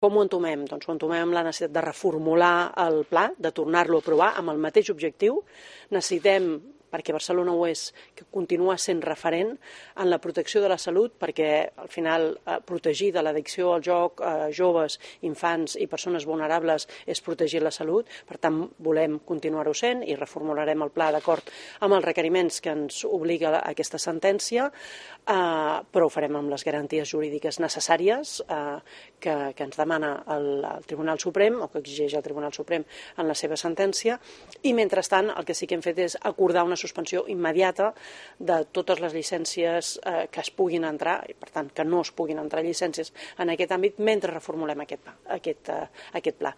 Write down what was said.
Com ho entomem? Doncs ho entomem amb la necessitat de reformular el pla, de tornar-lo a aprovar amb el mateix objectiu. Necessitem, perquè Barcelona ho és, que continua sent referent en la protecció de la salut, perquè al final protegir de l'addicció al joc joves, infants i persones vulnerables és protegir la salut. Per tant, volem continuar-ho sent i reformularem el pla d'acord amb els requeriments que ens obliga aquesta sentència, però ho farem amb les garanties jurídiques necessàries que ens demana el Tribunal Suprem o que exigeix el Tribunal Suprem en la seva sentència, i mentrestant el que sí que hem fet és acordar una suspensió immediata de totes les llicències que es puguin entrar, i per tant que no es puguin entrar llicències en aquest àmbit mentre reformulem aquest pla.